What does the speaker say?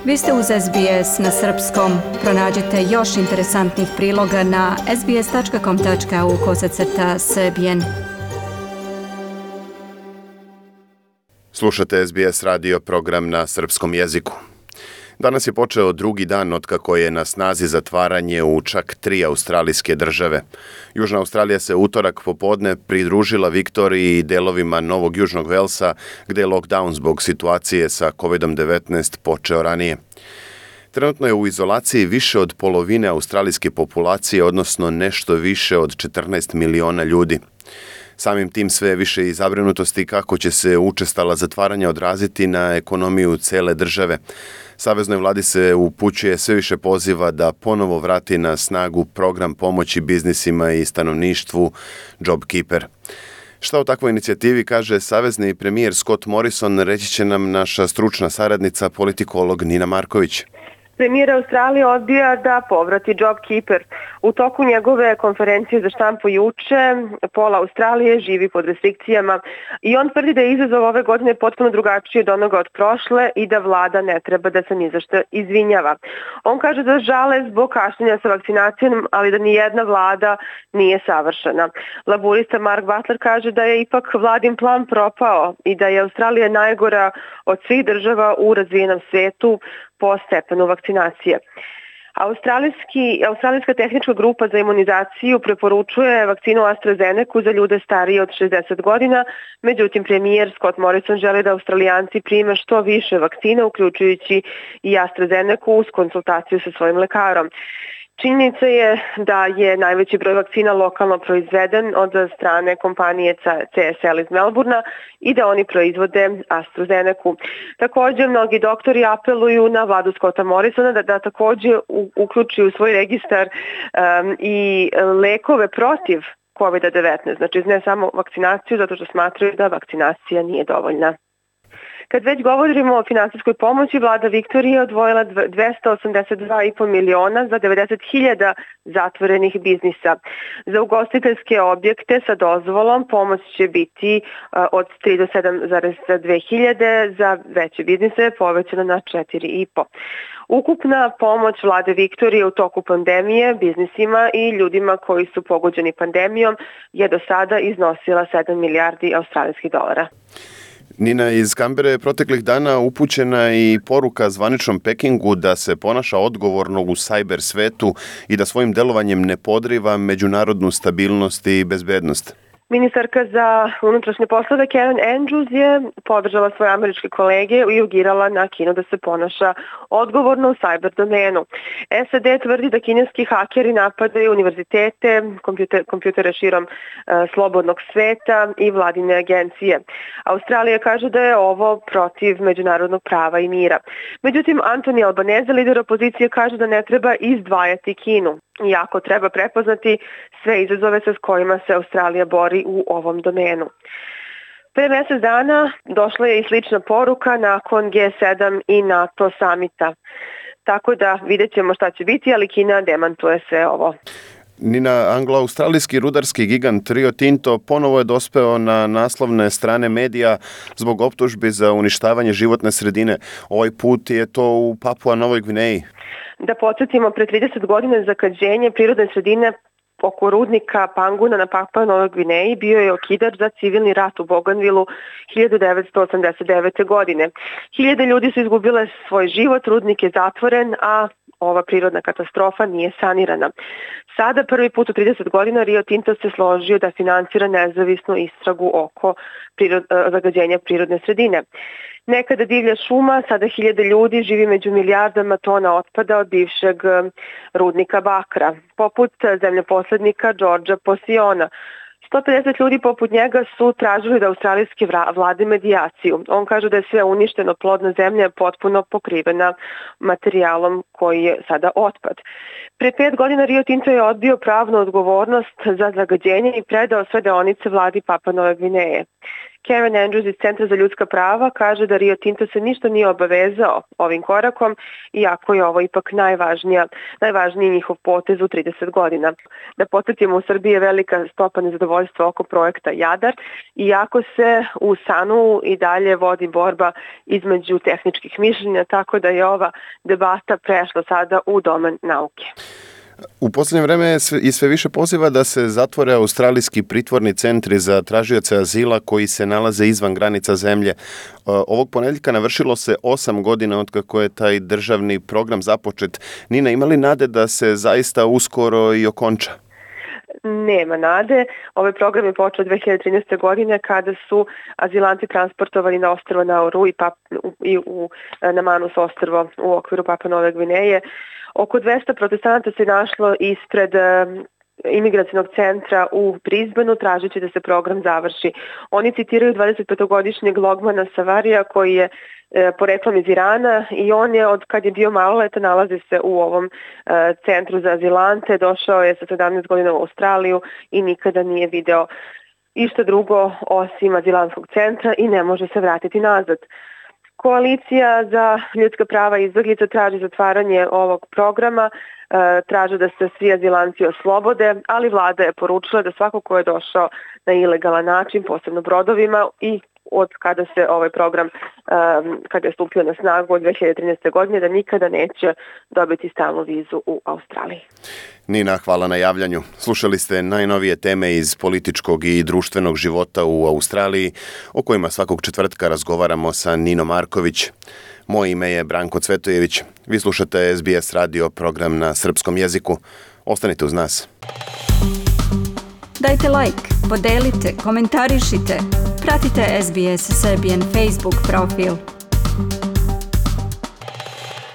Vi ste uz SBS na srpskom. Pronađite još interesantnih priloga na sbs.com.au/srbijen. Slušate SBS radio program na srpskom jeziku. Danas je počeo drugi dan otkako je na snazi zatvaranje u čak 3 australijske države. Južna Australija se utorak popodne pridružila Viktoriji i delovima Novog Južnog Velsa, gde je lockdown zbog situacije sa COVID-19 počeo ranije. Trenutno je u izolaciji više od polovine australijske populacije, odnosno nešto više od 14 miliona ljudi. Samim tim sve više i zabrinutosti kako će se učestala zatvaranja odraziti na ekonomiju cele države. Saveznoj vladi se upućuje sve više poziva da ponovo vrati na snagu program pomoći biznisima i stanovništvu JobKeeper. Šta o takvoj inicijativi kaže savezni premijer Scott Morrison, reći će nam naša stručna saradnica, politikolog Nina Marković. Premijer Australije odbija da povrati JobKeeper. U toku njegove konferencije za štampu juče, pola Australije živi pod restrikcijama i on tvrdi da je izazov ove godine potpuno drugačiji od onoga od prošle i da vlada ne treba da se ni za što izvinjava. On kaže da žale zbog kašnjenja sa vakcinacijom, ali da nijedna vlada nije savršena. Laburista Mark Butler kaže da je ipak vladin plan propao i da je Australija najgora od svih država u razvijenom svetu po stepenu vakcinacije. Australijska tehnička grupa za imunizaciju preporučuje vakcinu AstraZeneca za ljude starije od 60 godina, međutim premijer Scott Morrison želi da Australijanci prime što više vakcine, uključujući i AstraZeneca uz konsultaciju sa svojim lekarom. Činjenica je da je najveći broj vakcina lokalno proizveden od strane kompanije CSL iz Melbourna i da oni proizvode AstraZeneca. Također, mnogi doktori apeluju na vladu Scotta Morrisona da također uključi u svoj registar i lekove protiv COVID-19, znači ne samo vakcinaciju, zato što smatraju da vakcinacija nije dovoljna. Kad već govorimo o finansijskoj pomoći, vlada Viktorije je odvojila 282,5 miliona za 90.000 zatvorenih biznisa. Za ugostiteljske objekte sa dozvolom pomoć će biti od 3 do 7,2 hiljade, za veće biznise povećana na 4,5. Ukupna pomoć vlade Viktorije u toku pandemije biznisima i ljudima koji su pogođeni pandemijom je do sada iznosila 7 milijardi australijskih dolara. Nina, iz Kambere je proteklih dana upućena i poruka zvaničnom Pekingu da se ponaša odgovorno u sajber svetu i da svojim delovanjem ne podriva međunarodnu stabilnost i bezbednost. Ministarka za unutrašnje poslove Karen Andrews je podržala svoje američke kolege i urgirala na Kinu da se ponaša odgovorno u sajber domenu. SAD tvrdi da kineski hakeri napadaju univerzitete, kompjutere širom slobodnog sveta i vladine agencije. Australija kaže da je ovo protiv međunarodnog prava i mira. Međutim, Anthony Albanese, lider opozicije, kaže da ne treba izdvajati Kinu, iako treba prepoznati sve izazove sa kojima se Australija bori u ovom domenu. Pre mjesec dana došla je i slična poruka nakon G7 i NATO samita. Tako da vidjet ćemo šta će biti, ali Kina demantuje sve ovo. Nina, anglo-australijski rudarski gigant Rio Tinto ponovo je dospeo na naslovne strane medija zbog optužbi za uništavanje životne sredine. Ovaj put je to u Papua Novoj Gvineji. Da podsjetimo, pre 30 godina zagađenje prirodne sredine oko rudnika Panguna na Papua Novoj Gvineji bio je okidač za civilni rat u Bougainvilleu 1989. godine. Hiljade ljudi su izgubile svoj život, rudnik je zatvoren, a ova prirodna katastrofa nije sanirana. Sada prvi put u 30 godina Rio Tinto se složio da financira nezavisnu istragu oko zagađenja prirodne sredine. Nekada divlja šuma, sada hiljade ljudi živi među milijardama tona otpada od bivšeg rudnika bakra, poput zemljoposlednika Georgea Posiona. 150 ljudi poput njega su tražili da australijske vlade medijaciju. On kaže da je sve uništeno, plodna zemlja je potpuno pokrivena materijalom koji je sada otpad. Pre 5 godina Rio Tinto je odbio pravnu odgovornost za zagađenje i predao sve deonice vladi Papua Nove Gvineje. Karen Andrews iz Centra za ljudska prava kaže da Rio Tinto se ništa nije obavezao ovim korakom, iako je ovo ipak najvažniji njihov potez u 30 godina. Da podsjetimo, u Srbiji je velika stopa nezadovoljstva oko projekta Jadar, iako se u SANU i dalje vodi borba između tehničkih mišljenja, tako da je ova debata prešla sada u domen nauke. U posljednje vreme i sve više poziva da se zatvore australijski pritvorni centri za tražioce azila koji se nalaze izvan granica zemlje. Ovog ponedjeljka navršilo se 8 godina od kako je taj državni program započet. Nina, ima li nade da se zaista uskoro i okonča? Nema nade. Ovaj program je počeo 2013. godine kada su azilanti transportovani na ostrvo Nauru na Manus ostrvo u okviru Papua Nove Gvineje. Oko 200 protestanata se našlo ispred imigracijnog centra u Brisbaneu tražeći da se program završi. Oni citiraju 25-godišnjeg Logmana Savarija koji je poreklom iz Irana i on je od kad je bio maloletan nalazi se u ovom centru za azilante, došao je sa 17 godina u Australiju i nikada nije video išta drugo osim azilantskog centra i ne može se vratiti nazad. Koalicija za ljudska prava i izbjeglica traži zatvaranje ovog programa, traže da se svi azilanti oslobode, ali vlada je poručila da svako ko je došao na ilegalan način, posebno brodovima i od kada se ovaj program, kada je stupio na snagu od 2013. godine, da nikada neće dobiti stalnu vizu u Australiji. Nina, hvala na javljanju. Slušali ste najnovije teme iz političkog i društvenog života u Australiji, o kojima svakog četvrtka razgovaramo sa Ninom Marković. Moje ime je Branko Cvetojević. Vi slušate SBS radio, program na srpskom jeziku. Ostanite uz nas. Dajte like, podelite, komentarišite. Pratite SBS Serbian Facebook profil.